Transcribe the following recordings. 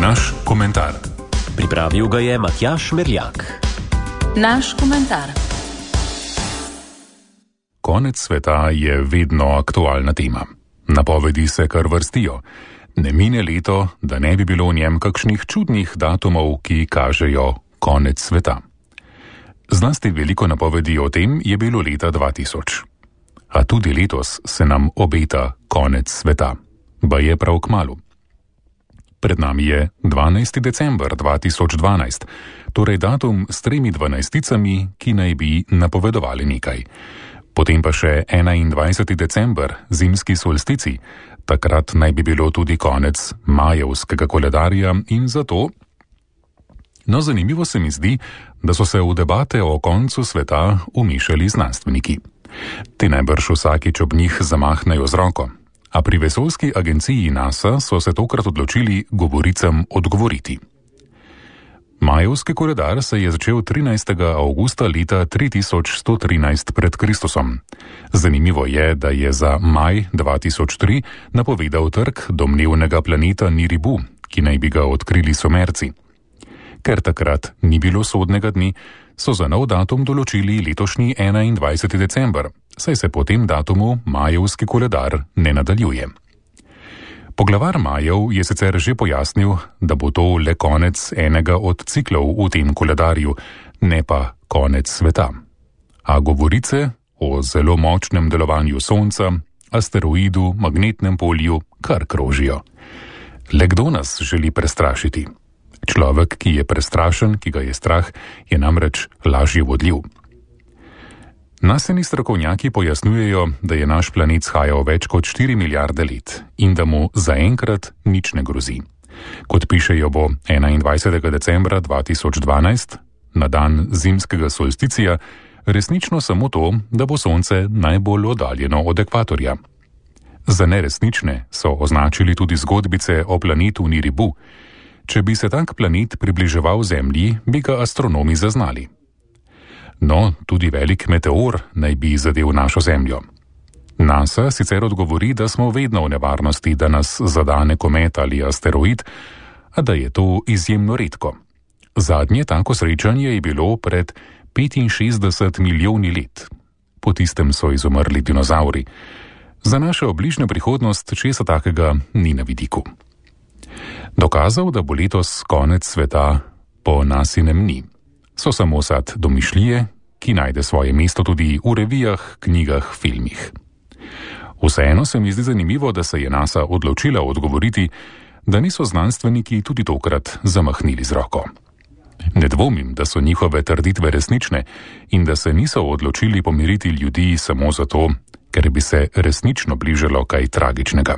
Naš komentar. Pripravil ga je Matjaž Merljak. Naš komentar. Konec sveta je vedno aktualna tema. Napovedi se kar vrstijo. Ne mine leto, da ne bi bilo v njem kakšnih čudnih datumov, ki kažejo konec sveta. Zlasti veliko napovedi o tem je bilo leta 2000. A tudi letos se nam obeta konec sveta. Baje prav kmalu. Pred nami je 12. december 2012, torej datum s 3 dvanajsticami, ki naj bi napovedovali nekaj. Potem pa še 21. december, zimski solstici, takrat naj bi bilo tudi konec majevskega koledarja in zato... No, zanimivo se mi zdi, da so se v debate o koncu sveta umešali znanstveniki. Ti najbrž vsakič ob njih zamahnejo z roko. A pri vesoljski agenciji NASA so se tokrat odločili govoricam odgovoriti. Majevski koledar se je začel 13. avgusta leta 3113 pred Kristusom. Zanimivo je, da je za maj 2003 napovedal trk domnevnega planeta Niribu, ki naj bi ga odkrili Sumerci. Ker takrat ni bilo sodnega dne, so za nov datum določili letošnji 21. december, saj se po tem datumu majevski koledar ne nadaljuje. Poglavar Majev je sicer že pojasnil, da bo to le konec enega od ciklov v tem koledarju, ne pa konec sveta. A govorice o zelo močnem delovanju Sonca, asteroidu, magnetnem polju kar krožijo. Le kdo nas želi prestrašiti? Človek, ki je prestrašen, ki ga je strah, je namreč lažje vodljiv. Nasleni strokovnjaki pojasnjujejo, da je naš planet shajal več kot 4 milijarde let in da mu zaenkrat nič ne grozi. Kot pišejo, bo 21. decembra 2012, na dan zimskega solsticija, resnično samo to, da bo Sonce najbolj oddaljeno od ekvatorja. Za neresnične so označili tudi zgodbice o planetu Niribu. Če bi se tak planet približeval Zemlji, bi ga astronomi zaznali. No, tudi velik meteor naj bi zadel našo Zemljo. NASA sicer odgovori, da smo vedno v nevarnosti, da nas zadane komet ali asteroid, a da je to izjemno redko. Zadnje tako srečanje je bilo pred 65 milijoni let. Po tistem so izumrli dinozauri. Za našo bližnjo prihodnost česa takega ni na vidiku. Dokazal, da bo letos konec sveta, po nasinem ni. So samo sad domišljije, ki najde svoje mesto tudi v revijah, knjigah, filmih. Vseeno se mi zdi zanimivo, da se je NASA odločila odgovoriti, da niso znanstveniki tudi tokrat zamahnili z roko. Ne dvomim, da so njihove trditve resnične in da se niso odločili pomiriti ljudi samo zato, ker bi se resnično bližalo kaj tragičnega.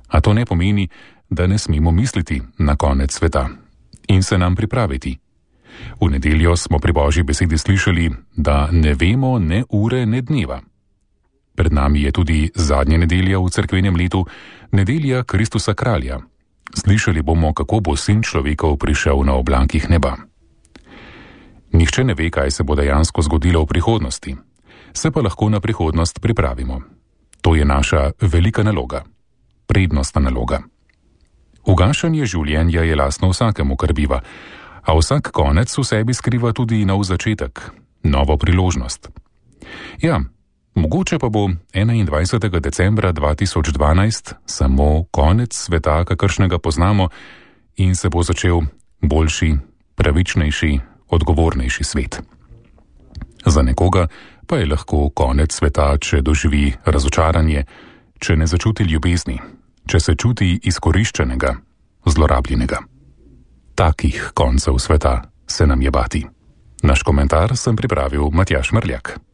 A to ne pomeni, da ne smemo misliti na konec sveta in se nam pripraviti. V nedeljo smo pri Božji besedi slišali, da ne vemo ne ure, ne dneva. Pred nami je tudi zadnja nedelja v cerkvenem letu, nedelja Kristusa kralja. Slišali bomo, kako bo sin človekov prišel na oblakih neba. Nihče ne ve, kaj se bo dejansko zgodilo v prihodnosti. Se pa lahko na prihodnost pripravimo. To je naša velika naloga. Prednostna naloga. Ugašanje življenja je lastno vsakemu, kar biva, a vsak konec v sebi skriva tudi nov začetek, novo priložnost. Ja, mogoče pa bo 21. decembra 2012 samo konec sveta, kakršnega poznamo, in se bo začel boljši, pravičnejši, odgovornejši svet. Za nekoga pa je lahko konec sveta, če doživi razočaranje, če ne začuti ljubezni, če se čuti izkoriščenega, zlorabljenega. Takih koncev sveta se nam je bati. Naš komentar sem pripravil Matjaž Merljak.